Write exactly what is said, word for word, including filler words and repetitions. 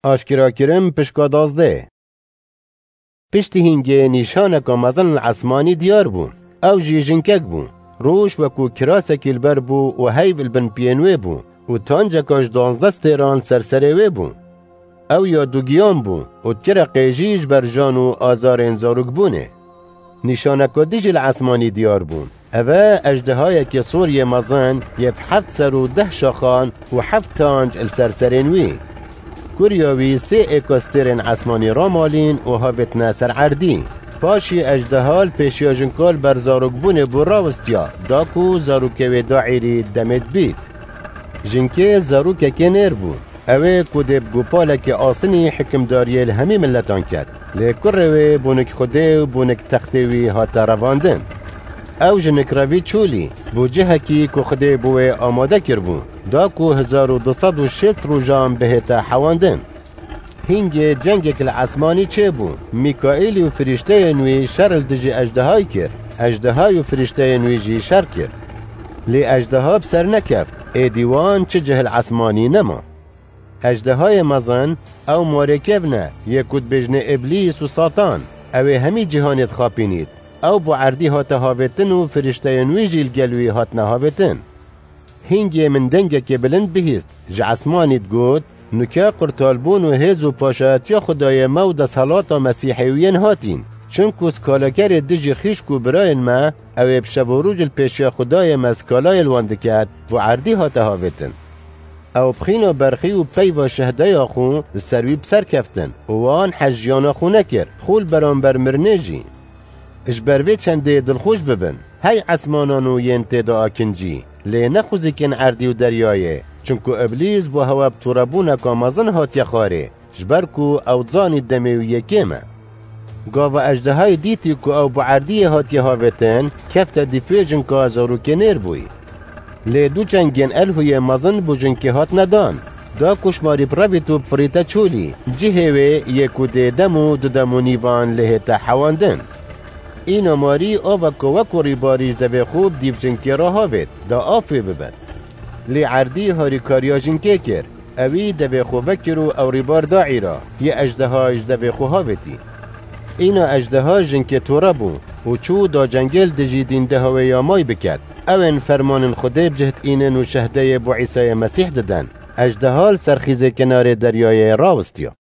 Aşkerakirin pişka dazdeh. Piştî hîngê nîşaneka mezin li esmanî diyar bû. Ew jî jinkek bû. Roj wekû kirasekî li ber bû û heyv li bin piyên wê bû û tanceka ji duwazdeh stêran li ser serê wê bû. Ew ya dugiyan bû û dikire qêjî ji ber jan û azarên zarokbûnê. Nîşaneka dijî li esmanî diyar bû. Ev e ejdehayekê sor yê mezin yê bi heft ser û deh şaxan û heft tanc li ser serên wî. Kurya wî sê êka stêrên esmanî ramalîn û havêtine ser erdî. Paşî ejdeha li pêşiya jinka li ber zarokbûnê bû rawistiya, da ku zarokê wê daîrî demê dibît. Jinkê zarokekê nêr bû. Ew ê ku dê bi gopalekê asinî hikimdariyê li hemî miletan ket. Lê kurê wê bûnik Xwedê û bûnik textê wî hate revandin. Ew jinik revî çûlî, bû cihekî ku Xwedê bo wê amade kiribû, da ku hezar û du sed û şêst rojan bihête hewandin. Hîngê cengek li esmanî çêbû. Mîkaîlî û firîşteyên wî şer li dijî ejdehayî kir. Ejdehayî û firîşteyên wî jî şer kir. Lê ejdeha bi ser nekeft. Êdî wan çi cih li esmanî nema. Ejdehayê mezin, ew marê kevn e, yê ku dibêjinê Îblîs û Satan. Ew ê hemî cîhanê dixapînît. Ew bo erdî hate havêtin û firîşteyên wî jî li gel wî hatine havêtin. Hîngê min dengekê bilind bihîst, ji esmanî digot, Nuke qurtalbûn û hêz û paşayetiya Xwedayê me û desthilata Mesîhê wî yên hatîn. Çimku skalakerê dijî xîşk û birayên me, ew ê bi şev û roj li pêşiya Xwedayê me skalayê li wan diket, bo erdî hate havêtin. Ew bi xîna berxî û peyva şehdeya xwe li ser wî bi ser keftin û wan hez jiyana xwe nekir, xwe li beramber mirinê jî. Ji ber vê çendê dilxweş bibin, hey esmanan û yên tê de akincî, lê nexwizîkin erdî û deryayê, çimku Îblîs bo hewe bi torebûneka mezin hatiye xwarê, ji ber ku ew dizanî demê wî yê kêm e. Gava ejdehayê dîtî ku ew bo erdiyê hatiye havêtin, kefte dîfê jinka zarokê nêr bûyî. Lê du çengên elhûyê mezin bo jinkê hatine dan. Da ku şmarî bi revît û bifirîte çolî, cihê wê yê ku dê dem û du dem û nîvan lê hête hewandin. Îna marî aveka wekû rîbarî ji devê xwe bi dîv jinkê re havêt, da av pê bibin. Lê erdî harîkariya jinkê kir. Ewî devê xwe vekir û ew rîbar da îra, yê ejdeha ji devê xwe havêtî. Îna ejdeha jinkê tore bû û çû da cengê li dijî dîndeha wê ya may biket. Ew ên fermanên Xwedê bi cih diînin û şehdeyê bo Îsayê Mesîh didin. Ejdeha li ser xîzê kenarê deryayê rawistiya.